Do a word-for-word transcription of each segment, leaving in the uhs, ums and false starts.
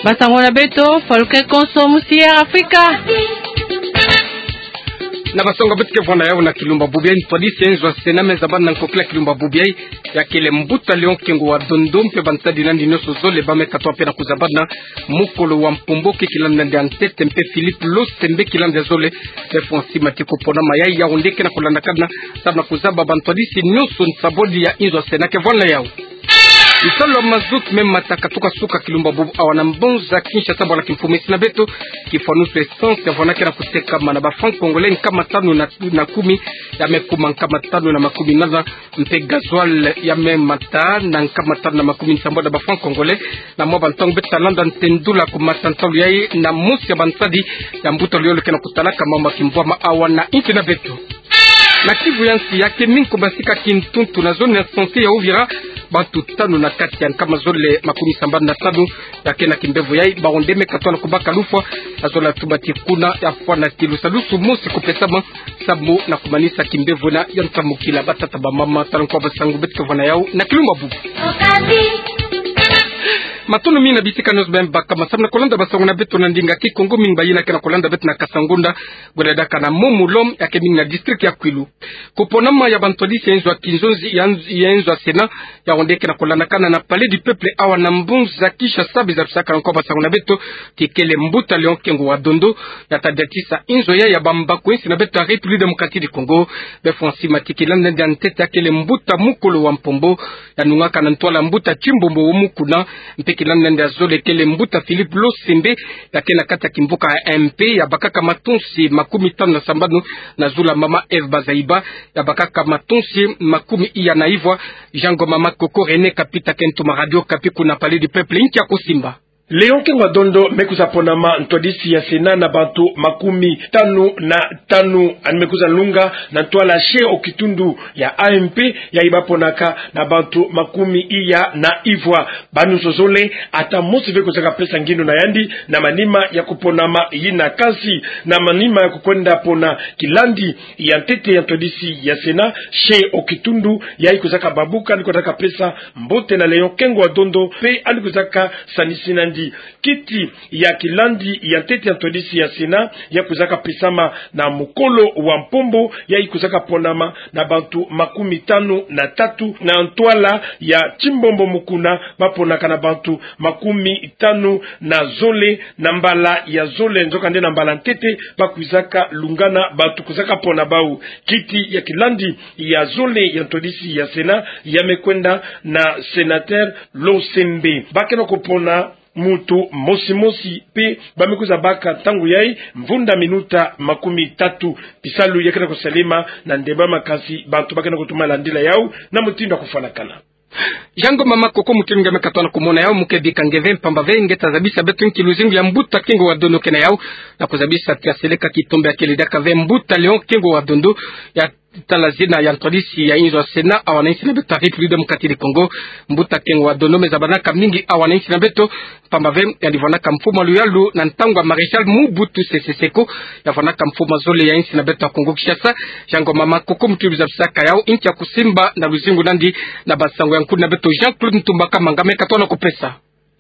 Basango na beto, Folke Konso, musi Air Afrika. Na basango beto ke vwanda yawu na kilumbu bubu yayi, ntwadisi ya inzo ya Sénat me zabana na nkokila kilumbu bubu yayi, ya kele mbuta Léon Kengo wa Dondo mpe bantadi nandi nyonso zole ba me katuka mpe na kuzabana, mukolo wa mpombo ke kilandi nandi ya ntete mpe Philippe Losembe kilandi ya zole, mpe François Matiko pona ma yayi, yawu nde ke na kulandakana, sababu na kuzaba bantwadisi nyonso nsambwadi ya inzo ya Sénat ke vwanda yawu. Bisalu ya mazout me mata katuka suka kilumbu bubu awa na mbanza Kinshasa, bwala kimfumu esi na beto, kifwanusu essence ya vwandaka na kutekama na ba francs congolais nkama tanu na, na kumi, ya me kuma nkama tanu na makumi nana, mpe gasoil ya me mata na nkama tanu na makumi nsambwadi ya ba francs congolais. Na mwa bantangu beto ta landa ntendula kumata ntalu yayi na mosi ya bantadi ya mbuta luyolo ke na kutalaka mambu ya kimvwama awa na insi na beto. Na Kivu ya nsi, ya ke mingi ko basika kintuntu na zone ya santé ya Uvira, bantu tanu na kati ya nkama zole makumi sambanu na tanu ya ke na kimbevo yayi, bawu nde me katuka na kubaka lufwa, na zole ya tuba ti kuna ya fwana ti lusalusu mosi kupesama, sababu na kumanisa kimbevo ena ya ntamukila. Batata, bamama, tala nkwa basango beto ke vwanda yawu na kilumbu bubu. Matondo mingi na bisika nyonso beno baka masamu na kulanda basango na beto na ndinga Kikongo. Mingi bayina ke na kulanda beto na Kasangunda, bweledaka na Momo Lom, ya ke mingi na district ya Kwilu. Kuponama ya bantwadisi ya inzo ya kinzonzi ya nz-, ya inzo ya Sénat, yawu nde ke na kulandakana na Palais du Peuple awa na mbanza Kinshasa, bizabisaka na nkwa basango na beto, kikele mbuta Léon Kengo wa Dondo, ya ta diatisa inzo yayi ya bambaku ya insi na beto ya République Démocratique du Congo. Mpe François Matiko kilandi nandi ya ntete, ya kele mbuta mukolo wa mpombo, ya nungaka na ntwala mbuta Tchimbombo wo Mukuna, mpe kilandi nandi ya zole kele mbuta Philippe Losembe, ya ke na kati ya kimvuka ya A M P, ya bakaka matonsi makumi tanu na sambanu na zulu ya mama Eve Bazaiba, ya bakaka matonsi makumi iya na ivwa. Jean Ngoma Makoko, René Kapita ke ntoma Radio Okapi kuna Palais du Peuple, nki ya kusimba. Léon Kengo wa Dondo me kwiza ponama ntwadisi ya Sénat na bantu makumi tanu na tanu, yandi me kwiza lunga na ntwala chef au kitundu ya A M P, yayi ba ponaka na bantu makumi iya na ivwa. Bawu nyonso zole, ata mosi ve kwizaka pesa ngindu na yandi na manima ya kuponama yina. Kansi na manima ya kukwenda pona kilandi ya ntete ya ntwadisi ya Sénat, chef au kitundu, yayi kwizaka babuka, yandi kwendaka pesa mbote na Léon Kengo wa Dondo, mpe yandi kwizaka sanisina yandi kiti ya kilandi ya ntete ya ntwadisi ya Sénat, ya kwizaka pesama na mukolo wa mpombo, yayi kwizaka ponama na bantu makumi tanu na tatu, na ntwala ya Tchimbombo Mukuna ba ponaka na bantu makumi tanu na zole na mbala ya zole, nzokande na mbala ntete ba kwizaka lungana bantu kwizaka pona bawu. Kiti ya kilandi ya zole ya ntwadisi ya Sénat ya me kwenda na sénateur Losembe. Ba ke na kupona muntu mosi mosi, mpe ba me kwiza baka ntangu yayi mvunda minuta makumi tatu. Bisalu ya ke na kusalema na ndembo ya makasi, bantu ba ke na kutuma landila yawu na mutindu ya kufwanakana. Jean Ngoma Makoko, mutindu nge me katuka na kumona yawu, mu ke bika nge ve, mpamba ve nge ta zabisa beto nki luzingu ya mbuta Kengo wa Dondo ke na yawu, na kuzabisa ti ya seleka kitombe ya ke lidaka ve mbuta Léon Kengo wa Dondo, ya tala zina ya ntwadisi ya inzo ya Sénat awa na insi na beto ya République Démocratique du Congo. Mbuta Kengo wa Dondo me zabanaka mingi awa na insi na beto, mpamba ve yandi vwandaka mfumu ya luyalu na ntangu ya Maréchal Mobutu Sese Seko, ya vwandaka mfumu ya zole ya insi na beto ya Congo Kinshasa. Jean Ngoma Makoko, mutindu zabisaka yawu, nki ya kusimba na luzingu na yandi na basango ya nkuni na beto Jean-Claude Ntumba Kamanga me katuka na kupesa.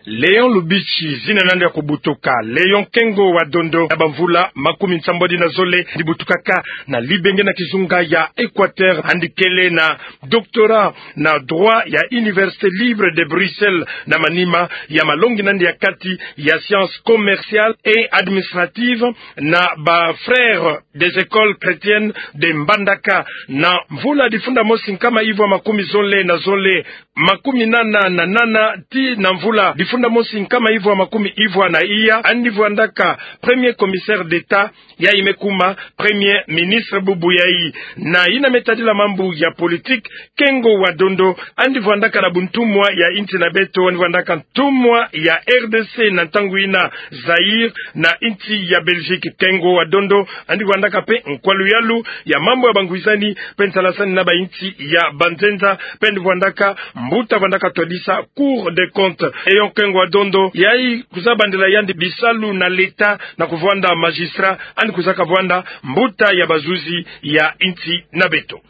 Léon Lubitshi, zina na yandi ya kubutuka Léon Kengo wa Dondo, na bamvula makumi nsambwadi na zole yandi butukaka na libenge na kizunga ya Équateur, yandi kele na doctorat na droit ya Université libre de Bruxelles, na manima ya malongi na yandi ya kati ya sciences commerciales et administratives na ba Frères des Écoles Chrétiennes de Mbandaka. Na mvula difunda mosi nkama ivwa makumi zole na zole, makumi nana na nana, tii na mvula difunda mosi nkama ivwa makumi ivwa na iya, yandi vwandaka premier commissaire d'État, yayi me kuma premier ministre bubu yayi. Na yina me tadila mambu ya politique, Kengo wa Dondo yandi vwandaka na buntumwa ya insi na beto, yandi vwandaka ntumwa ya R D C na ntangu yina Zaïre na insi ya Belgique. Kengo wa Dondo yandi vwandaka mpe nkwa luyalu ya mambu ya bangwizani mpe nsalasani na ba insi ya banzenza, mpe yandi vwandaka mbuta vwandaka twadisa Cour des comptes. Léon Kengo wa Dondo, yayi kwiza bandila yandi bisalu na l'État na kuvwanda magistrat, yandi kwizaka vwanda mbuta ya bazuzi ya insi na beto.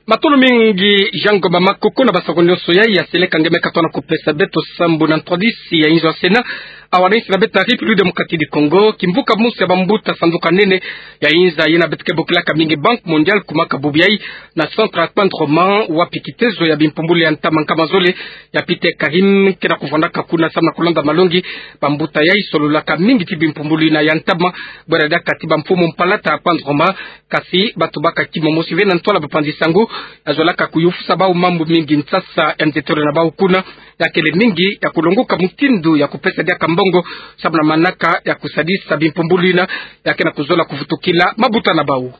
Matondo mingi, Jean Ngoma Makoko, na basango nyonso yai ya seleka nge me katoa na kupesa beto sambu na ntwadisi ya inzo ya Sénat, awa na insi na beto ya République Démocratique du Congo. Kimvuka mosi ya bambuta sanduka nene ya inza yina beto ke bokilaka mingi Banque Mondiale kumaka bubu yai na centre ya Kpandroman, wapi kitezo ya bimpumbulu ya ntama nkama zole ya Peter Karim kena kuvwandaka kuna samu na kulanda malongi. Bambuta yai sololaka mingi ti bimpumbulu yina ya ntama, bwera diaka ti bamfumu mpalata ya Kpandroman. Kasi bato baka kimomosi ve na ntwala bapanzi sango, ya zolaka kuyufusa bau mambu mingi. Nsasa ya ntetolo na bau kuna ya kele mingi ya kulongoka mutindu ya kupesa diaka mbongo samu na manaka ya kusadisa bimpumbulu yina ya kena kuzola kuvutukila mabuta na bau.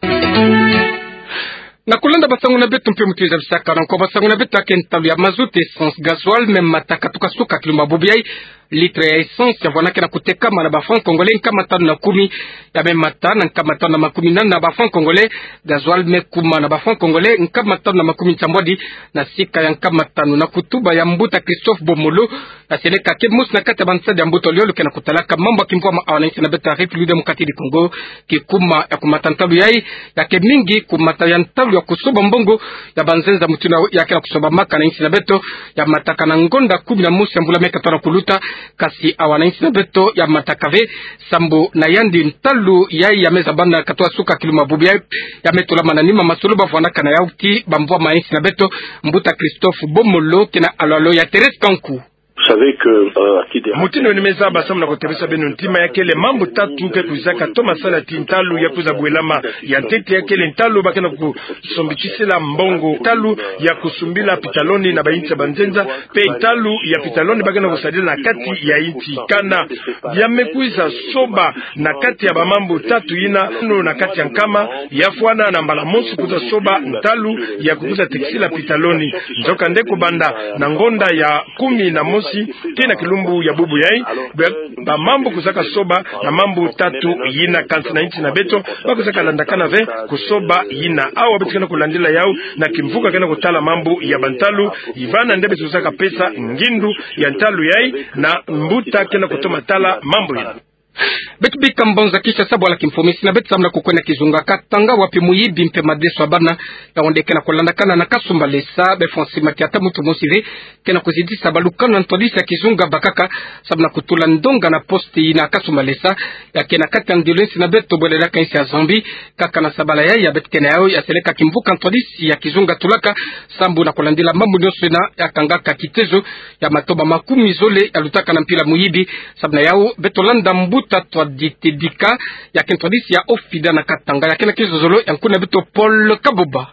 Na kulanda basango na beto mpe mutindu zabisaka na nko, basango na beto ya ke ntalu ya mazout, essence, gasoil me mata katuka suka kilumbu ya bubu yai. Litre ya essence ya vwanda kena kutekama na ba francs congolais nkama tanu na kumi, ya me mata na nkama tanu na makumi nana na ba francs congolais, gasoil me kuma na ba francs congolais nkama tanu na makumi nsambwadi na sika ya nkama tanu. Na kutuba ya mbuta Christophe Bomolo, ya seleka ke mosi na kati ya bansadi ya mbuta Oliolo kena kutalaka mambu ya kimvwama awa na insi na beto ya République Démocratique du Congo, kikuma ya kumata ntalu yai ya ke mingi kumata ya ntalu ya kusoba mbongo ya banzenza mutindu ya kena kusobamaka na insi na beto, ya mataka na ngonda kumi na mosi ya mbula me katoa na kuluta. Kasi awa na insi na beto ya mataka ve, sambu na yandi ntalu yai ya me zabana katoa suka kilumbu ya bubu yai, ya me tolama na nima masolo bavwandaka na yau ti bamvwama ya insi na beto. Mbuta Christophe Bomolo kena alwalo ya Thérèse Kanku. Vous savez que, euh, à titre de Mutindu ni me zaba samu na kutebisa beno ntima, ya kele mambu tatu ke kwizaka toma sala ti ntalu ya kwiza bwelama. Ya ntete ya kele ntalu ba kena kusombitisela mbongo, ntalu ya kusumbila pitaloni na bainsi ya banzenza, mpe ntalu ya pitaloni ba kena kusadila na kati ya insi. Kana ya me kwiza soba na kati ya bamambu tatu yina, no na kati ya nkama, ya fwana na mbala mosi kwiza soba ntalu ya kukwiza tekisila pitaloni. Nzokande kubanda na ngonda ya kumi na mosi tii na kilumbu ya bubu yai, ba, bamambu kwizaka soba na mambu tatu yina, kansi na insi na beto ba kwizaka landakana ve kusoba yina. Awa beto kena kulandila yau na kimvuka kena kutala mambu ya bantalu, ivana nde beto kwizaka pesa ngindu ya ntalu yai na mbuta kena kutoma tala mambu yina. Beto bika mbanza Kinshasa bwala kimfumu, insi na beto samu na kukwenda kizunga Katanga, wapi muyibi mpe madeso ya bana ya wende kena kulandakana na Kasumbalesa. Be Francis Mathiata, muntu mosi ve kena kuzidisa balukanu na ntwadisi ya kizunga bakaka samu na kutula ndonga na poste yina Kasumbalesa, ya ke na kati ya ndilu ya insi na beto bwele diaka insi ya Zambie. Kaka na sabala yai ya beto kena yau ya seleka kimvuka ntwadisi ya kizunga tulaka sambu na kulandila mambu nyonso yina ya kangaka kitezo ya matoma makumi zole ya lutaka na mpila muyibi. Samu na yau beto landa mbuta Twadite Dika, ya ke ntwadisi ya OFIDA na Katanga, ya kena kizozolo ya nkuna beto Paul Kaboba.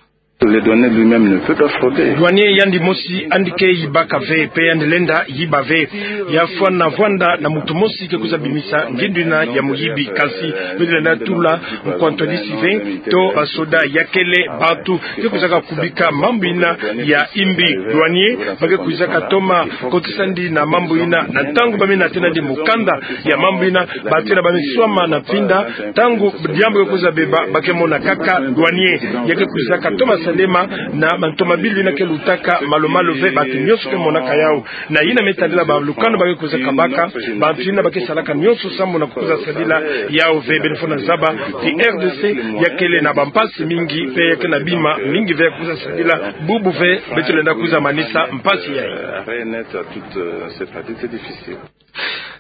Le douanier lui-même ne peut pas frauder. Douanier yandi mosi yandi ke yibaka ve, mpe yandi lenda yiba ve. Ya fwana vwanda na muntu mosi ke kwiza bimisa ngindu yina ya muyibi. Kansi beto lenda tula nkwa ntwadisi ve to basoda, ya kele bantu ke kwizaka kubika mambu yina ya imbi. Douanier ba ke kwizaka toma kotisa ndi na mambu yina, na ntangu ba me natena ndi mukanda ya mambu yina, bantu yina ba me swama na mpinda. Ntangu diambu ke kwiza beba, ba ke mona kaka douanier. Ya ke kwizaka toma salema na bantu mabilu yina ke lutaka malu-malu ve, bantu nyonso ke monaka yau. Na yina me tadila balukanu ba ke kwizaka baka, bantu yina ba ke salaka nyonso sambu na kwiza sadila yau ve. Beno fwana zaba ti RDC ya kele na bampasi mingi, mpe ya ke na bima mingi ve ya kwiza sadila. Bubu ve beto lenda kwiza manisa mpasi yai.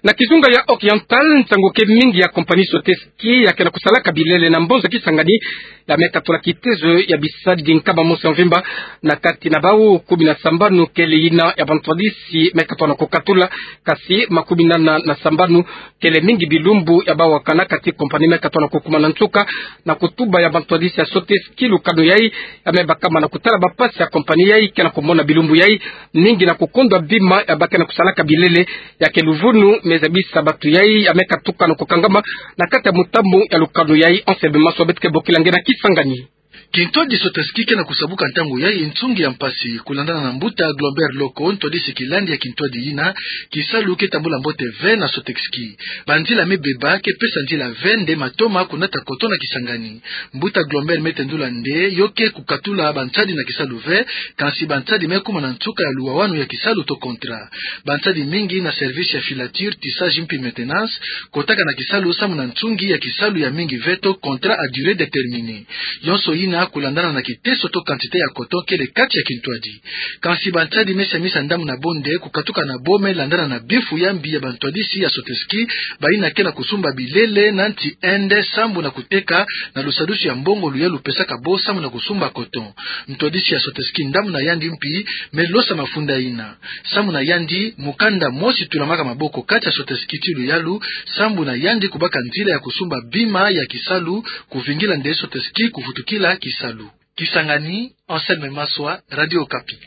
Na kizunga ya Oriental, nsangu ke mingi ya compagnie Sotesky ya kena kusalaka bilele na mbanza Kisangani, ya me katula kitezo ya bisadi nkama mosi ya mvimba. Na kati na bau, kumi na sambanu kele yina ya bantwadisi me katula na kukatula, kansi makumi nana na sambanu kele mingi bilumbu ya bau wakana kati compagnie me katula na kukuma na nsuka. Na kutuba ya bantwadisi ya Sotesky, lukanu yai ya me bakama na kutala bampasi ya compagnie yai kena kumona bilumbu yai, mingi na kukondwa bima ya ba kena kusalaka bilele. Ya ke luvunu me zabisa bantu yai ya me katuka na kukangama na kati ya mutambu ya lukanu yai. Anselme Maswa, beto ke bokila nge na Kisangani. Kintwadi Sotesky kena kusabuka ntangu yai nsungi ya mpasi. Kulandana na mbuta Globert Loko, ntwadisi kilandi ya kintwadi yina, kisalu ke tambula mbote ve na Sotesky. Banzila me beba ke pesa nzila ve nde matoma kunata koto na Kisangani. Mbuta Globert me tendula nde yo ke kukatula bansadi na kisalu ve, kansi bansadi me kuma na nsuka ya luwawanu ya kisalu to contrat. Bansadi mingi na service ya filature, tissage mpi maintenance kotaka na kisalu samu na nsungi ya kisalu ya mingi ve to contrat à durée déterminée. Yonso yina kulandana na kiteso to quantité ya coton kele kati ya kintwadi. Kansi bantadi mesiamisa ndambu na bo nde kukatuka na bo me landana na bifu ya mbi ya bantwadisi ya Soteski, bayina ke na kusumba bilele na nti Inde sambu na kuteka na lusadusu ya mbongo luyalu pesaka bo sambu na kusumba coton. Ntwadisi ya Soteski ndambu na yandi mpi me losa mafunda yina. Sambu na yandi, mukanda mosi tulamaka maboko kati ya Soteski ti luyalu, sambu na yandi kubaka nzila ya kusumba bima ya kisalu, kuvingila nde Soteski kuvutukila kisalu. Kisangani, Anselme Maswa, Radio Okapi.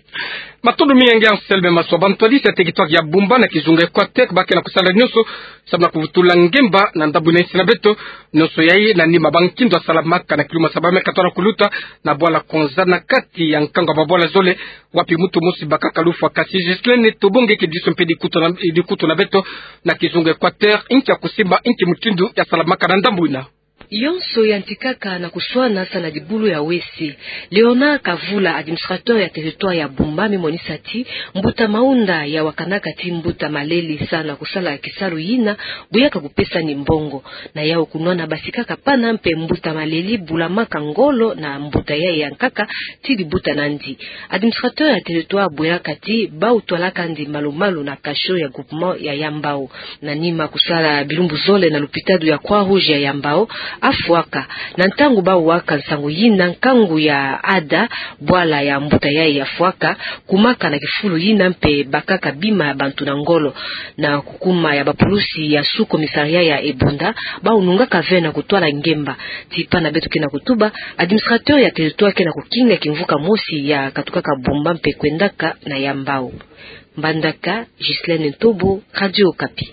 Matondo mingi Anselme Maswa. Bantwadisi ya territoire ya Bumba na kizunga Equateur ba ke na kusala nyonso sambu na kuvutula ngemba na ndambu na insi na beto. Nyonso yayi na nima ba nkindo ya salamaka na kiluma sa ba me katwa na kuluta na bwala Konza na kati ya nkangu ya babwala zole, wapi muntu mosi bakaka lufwa. Kasi Ghislaine Tobo nge ke diso mpe dikutu na, dikutu na beto na kizunga Equateur, inki ya kusimba, inki mutindu ya salamaka na ndambu yina? Yonso yantikaka na kuswana sa na dibulu ya wese. Léonard Kavula, administrateur ya territoire ya Bumba, me monisa ti mbuta Maunda ya wakanaka ti mbuta Maleli sa na kusala kisalu yina, bu ya ka kupesani mbongo. Na yau kunwana basikaka pana mpe mbuta Maleli bulamaka ngolo na mbuta yayi ya nkaka ti dibuta nandi. Administrateur ya territoire bwelaka ti bau twalaka ndi malu-malu na cachot ya groupement ya Yambao. Na nima kusala bilumbu zole na lupitalu ya Croix-Rouge ya Yambao, afwaka. Na ntangu bau waka nsangu yina, nkangu ya ada bwala ya mbuta yayi yafwaka, kumaka na kifulu yina mpe bakaka bima ya bantu na ngolo. Na kukuma ya bapulusi ya sous-commissariat ya Ebonda, bau nungaka ve na kutwala ngemba. Ti pana beto ke na kutuba, administrateur ya territoire ke na kukinga kimvuka mosi ya katukaka Bumba mpe kwendaka na Yambao. Mbandaka, Ghislaine Ntobo, Radio Okapi.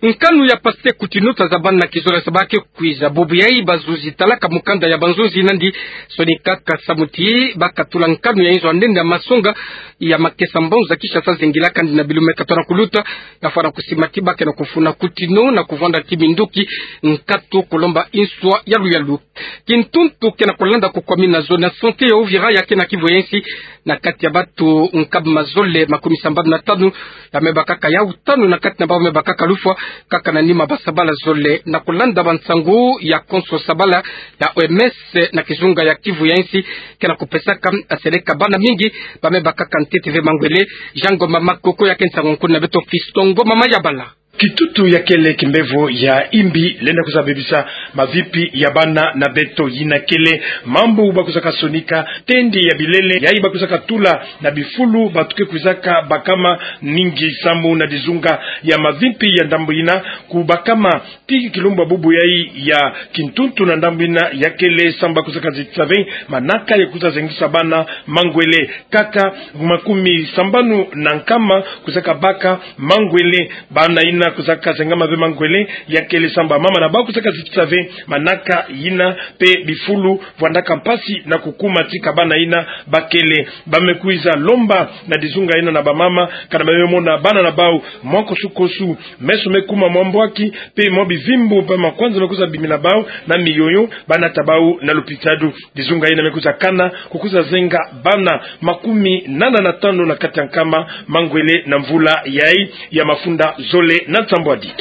Nkanu ya Pasteur Coutinho ta zabana na kizolele sa ba ke kwiza. Bubu yayi bazuzi talaka mukanda ya banzuzi nandi sonikaka samu ti ba katula nkanu ya inzo ya ndende ya masonga ya Makesa Mbanza Kinshasa zingilaka ndi na bilumbu me katwa na kuluta, ya fwana kusima ti ba ke na kufuna Coutinho na kuvwanda ti minduki nkatu kulomba inswa yalu-yalu. Kintuntu ke na kulanda kukwami na zone ya santé ya Uvira ya ke na Kivu ya insi, na kati ya batu nkama zole makumi sambanu na tanu, ya me bakaka yau tanu na kati na bau me bakaka lufwa, kaka na nima ba sabala zole. Na kulanda bansangu ya konso sabala ya O M S na kizunga ya Kivu ya insi, ke na kupesaka, aseleka bana mingi ba me bakaka ntete ve mangwele. Jean Ngoma Makoko ya ke nsangu-nkulu na beto, Fiston Ngoma Mayabala. Kitutu ya kele kimbevo ya imbi lenda kwiza bebisa mavimpi ya bana na beto. Yina kele mambu ba kwizaka sonika, tende ya bilele yayi ba kwizaka tula na bifulu, batu ke kwizaka bakama mingi samu na dizunga ya mavimpi ya ndambu yina kubakama. Ti kilumbu ya bubu yayi ya kintuntu na ndambu yina ya kele samu ba kwizaka zitisa ve manaka ya kwiza zengisa bana mangwele. Kaka makumi sambanu na nkama kwizaka baka mangwele. Bana yina kwizaka zengama ve mangwele ya kele samu bamama na bau kwizaka zitisa ve manaka yina, mpe bifulu vwandaka mpasi na kukuma ti ka bana yina bakele. Ba me kwiza lomba na dizunga yina na bamama, kana ba me mona bana na bau mwa kosu-kosu, meso me kuma mwa mbwaki, mpe mwa bivimbu mpe makwanza me kwiza bimi na bau na miyoyo, ba nata bau na lupitalu. Dizunga yina me kwiza kana ku kwiza zenga bana makumi nana na tanu na kati ya nkama mangwele na mvula yayi ya mafunda zole na nsambwadi.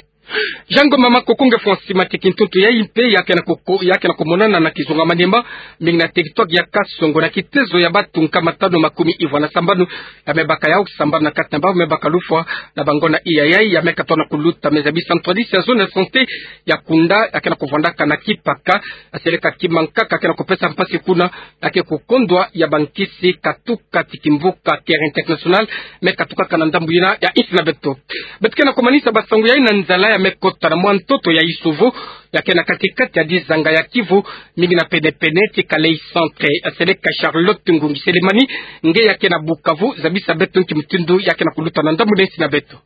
Jean Ngoma Makoko, nge fwa nsima ti kintuntu yayi mpe ya ke na koko-, ya ke na kumonana na kizunga Maniema, mingi na territoire ya Kasongo, na kitezo ya batu nkama tanu makumi ivwa na sambanu ya me baka yau, sambanu na kati na bau me baka lufwa na bangonda iya yayi ya me katwa na kuluta. Me zabisa ntwadisi ya zone ya santé ya Kunda, ya ke na kuvwandaka na Kipaka, aseleka kima nkaka ke na kupesa mpasi kuna, ya ke kukondwa ya bankisi katuka ti kimvuka Care International, me katukaka na ndambu yina ya insi na beto. Beto ke na kumanisa bansangu yayi na nzala ya me kota na mwa ntoto ya Isovo, ya ke na kati-kati ya dizanga ya Kivu, mingi na pene-pene ti Kalei Centre. Aseleka Charlotte Ngungi Selemani, nge ya ke na Bukavu, zabisa beto nki mutindu ya ke na kuluta na ndambu na insi na beto.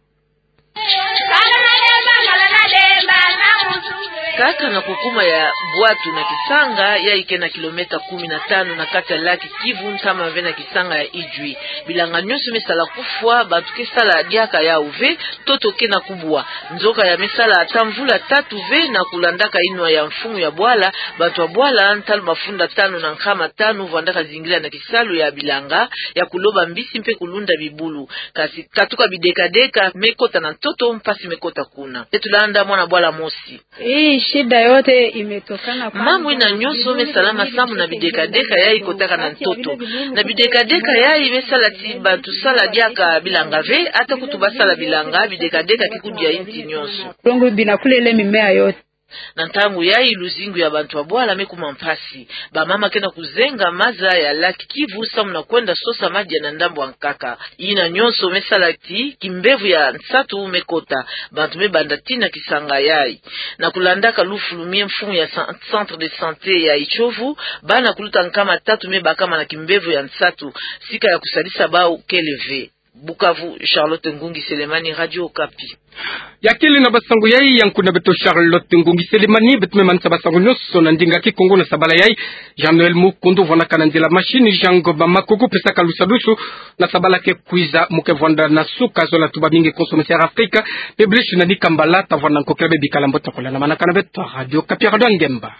Kaka na kukuma ya bwatu na kisanga, yayi ke na kilomètre kumi na tanu na kati ya lac Kivu, ntama ve na kisanga ya Idjwi. Bilanga nyonso me sala kufwa, batu ke sala diaka yau ve, ntoto ke na kubwa. Nzoka ya me sala ata mvula tatu ve na kulandaka inwa ya mfumu ya bwala, batu ya bwala, ntalu mafunda tanu na nkama tanu, vwandaka zingila na kisalu ya bilanga, ya kuloba mbisi mpe kulunda bibulu. Kasi katuka bideka-deka me kota na ntoto, mpasi me kota kuna. Beto landa mwana bwala mosi. Eh, Mambu ina nyonso me salama samu na bidekadeka yayi kotaka na ntoto. Na bidekadeka yayi me sala ti bantu sala diaka bilanga ve, ata kutu ba sala bilanga, bidekadeka ke kudia inti nyonso. Na ntangu yayi luzingu ya bantu ya bwala me kuma mpasi. Bamama ke na kuzenga maza ya lac Kivu samu na kwenda sosa madia na ndambu ya nkaka. Ina nyonso me sala ti kimbevo ya nsatu me kota. Bantu me banda tina kisanga yayi. Na kulandaka lufulu mie mfumu ya san-, centre de santé ya Itiovu, bana kuluta nkama tatu me bakama na kimbevo ya nsatu, sika ya kusadisa bau kele ve. Bukavu, Charlotte Ngungi Selemani, Radio Okapi. Ya kele na basango yayi ya nkuna beto Charlotte Ngungi Selemani. Beto me manisa basango nyonso na ndinga Kikongo na sabala yayi. Jean-Noël Mukundu vwanaka na nzila machine, Jean Ngoma Makuku pesaka lusadusu na sabala ke kwiza. Mu ke vwanda na suka, zola tuba mingi konso mesera Afrika, publish na ni kambala, ta vwanda nkokela be bikala mbote, kula na manaka na beto Radio Okapi, Radio Ngemba.